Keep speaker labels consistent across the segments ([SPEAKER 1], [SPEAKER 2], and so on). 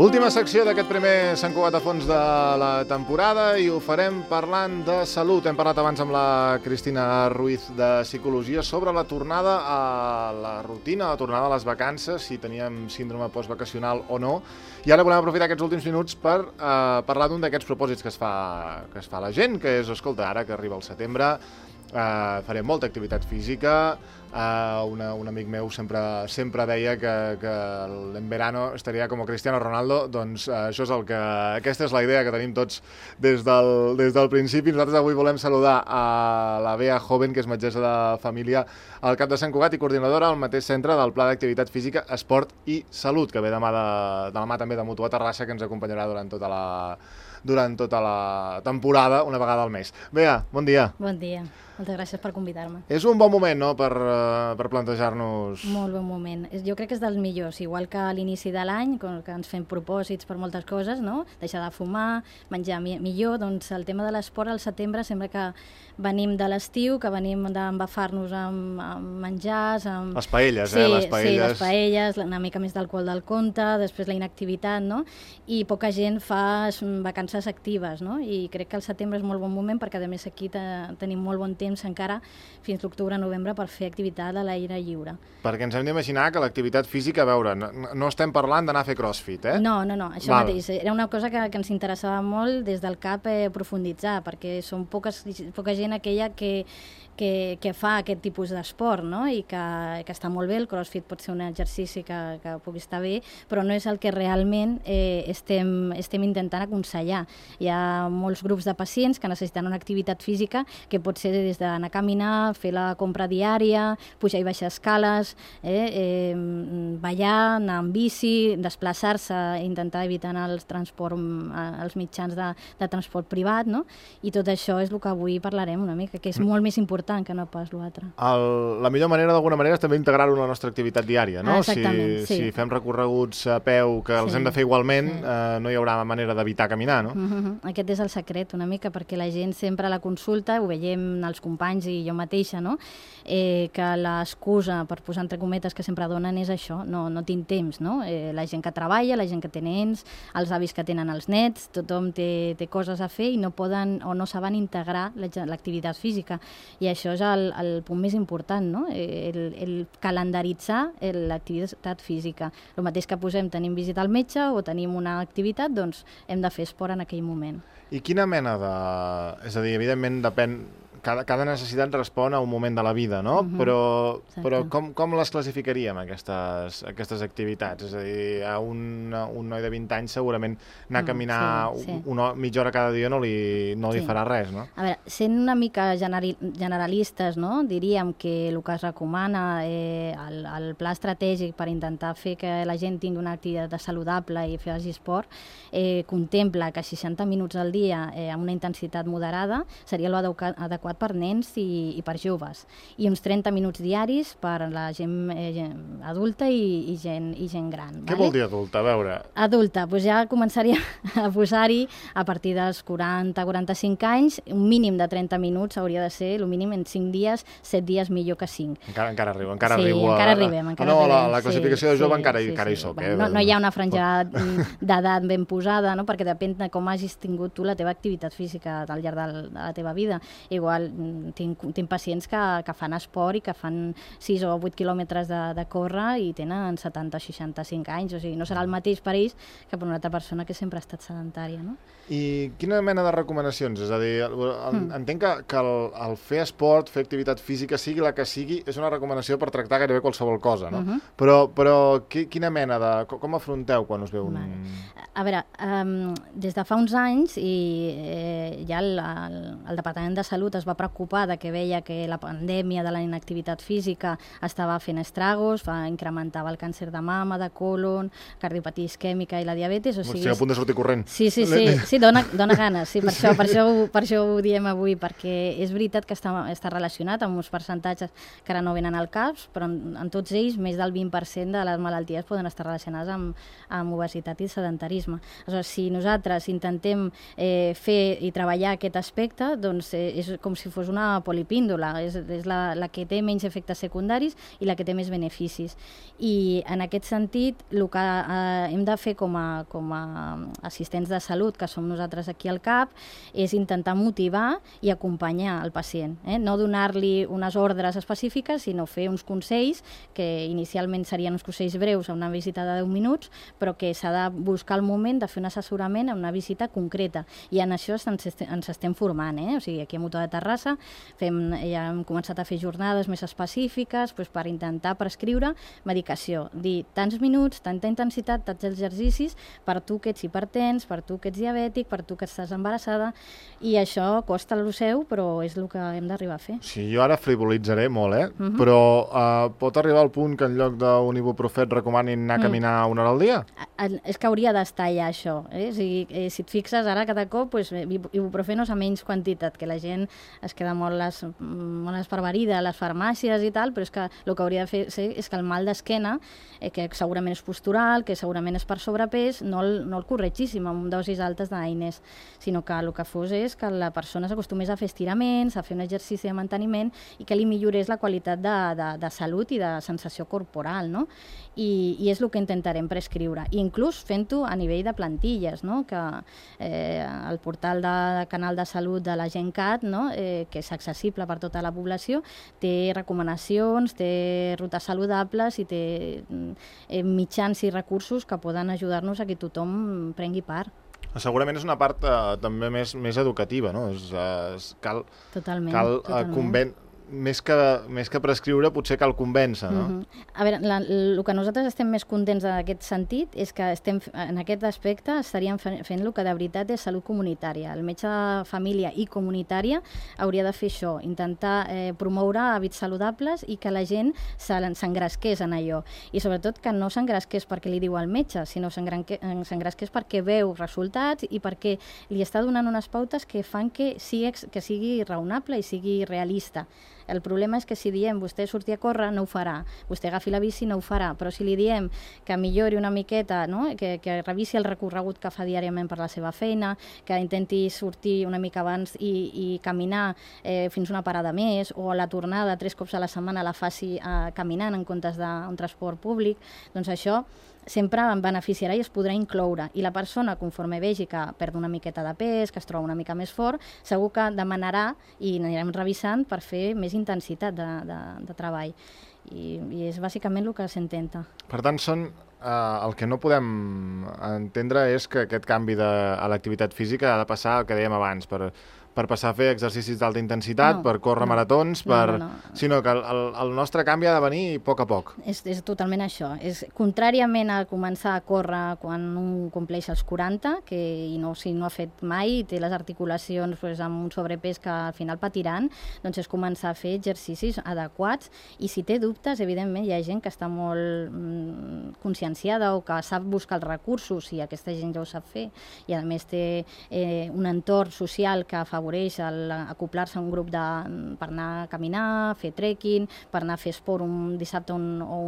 [SPEAKER 1] Última secció d'aquest primer Sant Cugat a fons de la temporada i ho farem parlant de salut. Hem parlat abans amb la Cristina Ruiz de Psicologia sobre la tornada a la rutina, la tornada a les vacances, si teníem síndrome postvacacional o no. I ara volem aprofitar aquests últims minuts per parlar d'un d'aquests propòsits que es fa la gent, que és, escolta, ara que arriba el setembre, farem molta activitat física. Un amic meu sempre deia que en verano estaria com Cristiano Ronaldo. Doncs això és aquesta és la idea que tenim tots des del principi. Nosaltres avui volem saludar a la Bea Joven, que és metgessa de família al CAP de Sant Cugat i coordinadora al mateix centre del Pla d'Activitat Física, Esport i Salut, que ve de la mà també de Mutua Terrassa, que ens acompanyarà durant tota la temporada, una vegada al mes. Bea, bon dia.
[SPEAKER 2] Bon dia. Moltes gràcies per convidar-me.
[SPEAKER 1] És un bon moment, no?, per plantejar-nos...
[SPEAKER 2] Molt bon moment. Jo crec que és dels millors, igual que a l'inici de l'any, que ens fem propòsits per moltes coses, no? Deixar de fumar, menjar millor, doncs el tema de l'esport al setembre sembla que venim de l'estiu, que venim d'embafar-nos amb menjars, amb...
[SPEAKER 1] Les paelles,
[SPEAKER 2] les paelles. Sí, les paelles, una mica més d'alcohol del compte, després la inactivitat, no? I poca gent fa vacances actives, no? I crec que el setembre és molt bon moment perquè, a més, aquí tenim molt bon temps encara fins l'octubre-novembre per fer activitat a l'aire lliure.
[SPEAKER 1] Perquè ens hem d'imaginar que l'activitat física, a veure, no estem parlant d'anar a fer crossfit, eh?
[SPEAKER 2] No, això mateix. Era una cosa que ens interessava molt des del CAP profunditzar, perquè són poca gent aquella que fa aquest tipus d'esport, no? I que està molt bé, el crossfit pot ser un exercici que pugui estar bé, però no és el que realment estem intentant aconsellar. Hi ha molts grups de pacients que necessiten una activitat física que pot ser des d'anar a caminar, fer la compra diària, pujar i baixar escales, ballar, anar amb bici, desplaçar-se, intentar evitar els mitjans de transport privat, no? I tot això és el que avui parlarem una mica, que és molt més important que no pas l'altre.
[SPEAKER 1] La millor manera, d'alguna manera, és també integrar-ho en la nostra activitat diària, no?
[SPEAKER 2] Exactament, sí.
[SPEAKER 1] Si fem recorreguts a peu, que els hem de fer igualment, no hi haurà manera d'evitar caminar, no?
[SPEAKER 2] Aquest és el secret, una mica, perquè la gent sempre a la consulta, ho veiem els companys i jo mateixa, no? Que l'excusa, per posar entre cometes, que sempre donen és això, no tinc temps, no? La gent que treballa, la gent que té nens, els avis que tenen els nets, tothom té coses a fer i no poden o no saben integrar l'activitat física. I això és el punt més important, no? El calendaritzar l'activitat física. El mateix que tenim visita al metge o tenim una activitat, doncs hem de fer esport en aquell moment.
[SPEAKER 1] I quina mena de... És a dir, evidentment depèn... Cada necessitat respon a un moment de la vida, no? Però com les classificaríem, aquestes activitats? És a dir, a un noi de 20 anys segurament anar a caminar mitja hora cada dia no li farà res, no?
[SPEAKER 2] A veure, sent una mica generalistes, no? Diríem que el que es recomana el pla estratègic per intentar fer que la gent tingui una activitat saludable i faci esport contempla que 60 minuts al dia amb una intensitat moderada seria l'adequat per nens i per joves, i uns 30 minuts diaris per la gent adulta i gent gran.
[SPEAKER 1] Què vol dir adulta? A veure...
[SPEAKER 2] Adulta, doncs ja començaria a posar-hi a partir dels 40-45 anys, un mínim de 30 minuts hauria de ser, el mínim en 5 dies, 7 dies millor que 5.
[SPEAKER 1] Encara arribem.
[SPEAKER 2] Encara arribem.
[SPEAKER 1] La classificació de jove encara hi soc.
[SPEAKER 2] No hi ha una franja d'edat ben posada, perquè depèn de com hagis tingut tu la teva activitat física al llarg de la teva vida. Igual tinc pacients que fan esport i que fan 6 o 8 quilòmetres de córrer i tenen 70-65 anys, o sigui, no serà el mateix per ells que per una altra persona que sempre ha estat sedentària, no?
[SPEAKER 1] I quina mena de recomanacions? És a dir, entenc que el fer esport, fer activitat física, sigui la que sigui, és una recomanació per tractar gairebé qualsevol cosa, no? Però quina mena de... Com afronteu quan us veu un...
[SPEAKER 2] A veure, des de fa uns anys ja el Departament de Salut es va preocupar de que veia que la pandèmia de la inactivitat física estava fent estragos, incrementava el càncer de mama, de colon, cardiopatia isquèmica i la diabetis.
[SPEAKER 1] Estic a punt de sortir corrent.
[SPEAKER 2] Sí, dona ganes, sí, per això ho diem avui, perquè és veritat que està relacionat amb uns percentatges que ara no venen al cap, però en tots ells més del 20% de les malalties poden estar relacionades amb obesitat i sedentarisme. Aleshores, si nosaltres intentem fer i treballar aquest aspecte, doncs és com si si fos una polipíndola, és la que té menys efectes secundaris i la que té més beneficis. I en aquest sentit, el que hem de fer com a assistents de salut, que som nosaltres aquí al CAP, és intentar motivar i acompanyar el pacient. No donar-li unes ordres específiques, sinó fer uns consells, que inicialment serien uns consells breus a una visita de 10 minuts, però que s'ha de buscar el moment de fer un assessorament a una visita concreta. I en això ens estem formant. O sigui, aquí a Motor de Terrassa ja hem començat a fer jornades més específiques per intentar prescriure medicació. Dir tants minuts, tanta intensitat, tants exercicis per tu que ets hipertens, per tu que ets diabètic, per tu que estàs embarassada, i això costa el seu, però és el que hem d'arribar a fer.
[SPEAKER 1] Sí, jo ara frivolitzaré molt, però pot arribar al punt que en lloc d'un ibuprofet recomanin anar a caminar una hora al dia?
[SPEAKER 2] És que hauria d'estar ja això. Si et fixes, ara cada cop ibuprofenos a menys quantitat, que la gent es queda molt esparverida a les farmàcies i tal, però és que el que hauria de fer és que el mal d'esquena, que segurament és postural, que segurament és per sobrepès, no el corregíssim amb dosis altes d'AINES, sinó que el que fos és que la persona s'acostumés a fer estiraments, a fer un exercici de manteniment i que li millorés la qualitat de salut i de sensació corporal, no? I és el que intentarem prescriure, inclús fent-ho a nivell de plantilles, no? Que el portal de Canal de Salut de la GenCat, no? Que és accessible per tota la població, té recomanacions, té rutes saludables i té mitjans i recursos que poden ajudar-nos a que tothom prengui part.
[SPEAKER 1] Segurament és una part també més educativa, no? Cal convèncer. Més que prescriure, potser cal convèncer, no?
[SPEAKER 2] A veure, el que nosaltres estem més contents en aquest sentit és que en aquest aspecte estaríem fent el que de veritat és salut comunitària. El metge de família i comunitària hauria de fer això, intentar promoure hàbits saludables i que la gent s'engresqués en allò. I sobretot que no s'engresqués perquè li diu al metge, sinó s'engresqués perquè veu resultats i perquè li està donant unes pautes que fan que sigui raonable i sigui realista. El problema és que si diem vostè surti a córrer, no ho farà. Vostè agafi la bici, no ho farà. Però si li diem que millori una miqueta, no? que revisi el recorregut que fa diàriament per la seva feina, que intenti sortir una mica abans i caminar fins una parada més, o a la tornada 3 cops a la setmana la faci caminant en comptes d'un transport públic, doncs això sempre en beneficiarà i es podrà incloure. I la persona, conforme vegi que perd una miqueta de pes, que es troba una mica més fort, segur que demanarà i anirem revisant per fer més intensitat de treball. I és bàsicament el que s'intenta.
[SPEAKER 1] Per tant, el que no podem entendre és que aquest canvi a l'activitat física ha de passar el que dèiem abans, per passar a fer exercicis d'alta intensitat, per córrer maratons, sinó que el nostre canvi ha de venir a poc.
[SPEAKER 2] És totalment això. Contràriament a començar a córrer quan un compleix els 40, si no ha fet mai i té les articulacions amb un sobrepès que al final patiran, doncs és començar a fer exercicis adequats, i si té dubtes, evidentment hi ha gent que està molt conscienciada o que sap buscar els recursos, i aquesta gent ja ho sap fer, i a més té un entorn social que afavoreix acoplar-se a un grup per anar a caminar, fer trekking, per anar a fer esport un dissabte o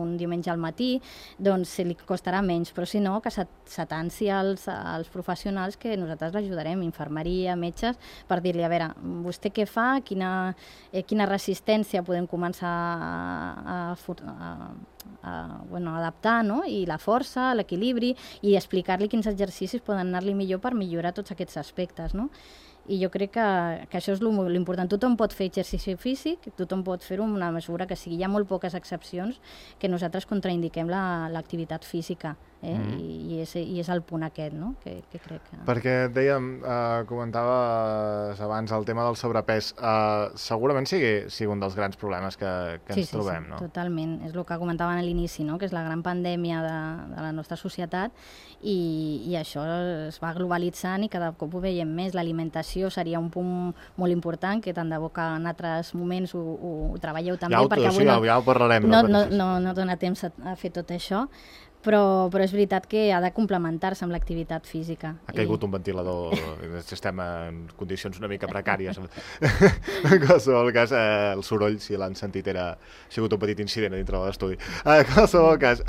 [SPEAKER 2] un diumenge al matí, doncs li costarà menys, però si no, que s'atansi als professionals que nosaltres l'ajudarem, infermeria, metges, per dir-li, a veure, vostè què fa, quina resistència podem començar a adaptar, no? I la força, l'equilibri, i explicar-li quins exercicis poden anar-li millor per millorar tots aquests aspectes, no? I jo crec que això és l'important. Tothom pot fer exercici físic, tothom pot fer-ho en una mesura que sigui. Hi ha molt poques excepcions que nosaltres contraindiquem l'activitat física, i és el punt aquest, no? que crec que...
[SPEAKER 1] Perquè dèiem, comentaves abans el tema del sobrepès, segurament sigui un dels grans problemes que ens trobem, no?
[SPEAKER 2] Sí, totalment. És el que comentaven a l'inici, no? Que és la gran pandèmia de la nostra societat, i això es va globalitzant i cada cop ho veiem més. L'alimentació seria un punt molt important, que tant de bo que en altres moments ho treballeu també, perquè avui
[SPEAKER 1] ja ho parlarem.
[SPEAKER 2] No dona temps a fer tot això, però és veritat que ha de complementar-se amb l'activitat física.
[SPEAKER 1] Ha caigut un ventilador, estem en condicions una mica precàries. En qualsevol cas, el soroll, si l'han sentit, ha sigut un petit incident dintre de l'estudi. En qualsevol cas,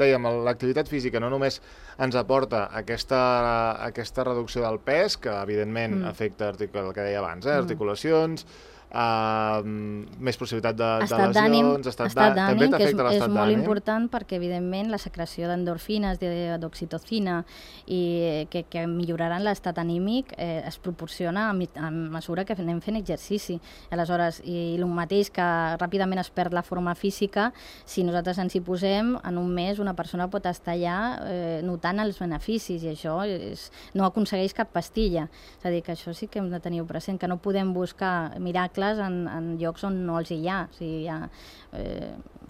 [SPEAKER 1] dèiem, l'activitat física no només ens aporta aquesta reducció del pes, que evidentment afecta el que deia abans, articulacions, més possibilitat de lesions, estat d'ànim,
[SPEAKER 2] també t'afecta l'estat d'ànim. És molt important perquè, evidentment, la secreció d'endorfines, d'oxitocina, i que milloraran l'estat anímic, es proporciona a mesura que anem fent exercici. Aleshores, i el mateix que ràpidament es perd la forma física, si nosaltres ens hi posem, en un mes una persona pot estar ja notant els beneficis, i això no aconsegueix cap pastilla. És a dir, que això sí que hem de tenir present, que no podem buscar miracles en llocs on no els hi ha. O sigui,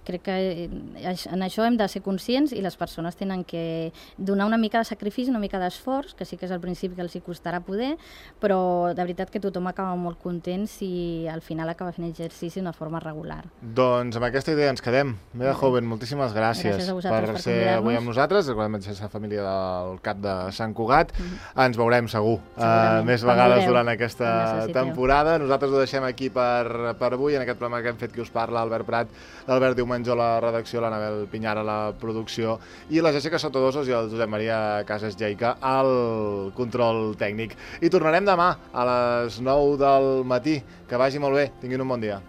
[SPEAKER 2] crec que en això hem de ser conscients, i les persones tenen que donar una mica de sacrifici, una mica d'esforç, que sí que és al principi que els hi costarà poder, però de veritat que tothom acaba molt content si al final acaba fent exercici d'una forma regular.
[SPEAKER 1] Doncs amb aquesta idea ens quedem. Meda Joven, moltíssimes gràcies per ser avui amb nosaltres, recordem la família del CAP de Sant Cugat. Ens veurem segur més vegades durant aquesta temporada. Nosaltres ho deixem aquí per avui, en aquest programa que hem fet qui us parla, Albert Prat, l'Albert Diumenge a la redacció, l'Anabel Pinyar a la producció i la Jessica Sotodosos i el Josep Maria Casas Jaica al control tècnic. I tornarem demà a les 9 del matí. Que vagi molt bé. Tinguin un bon dia.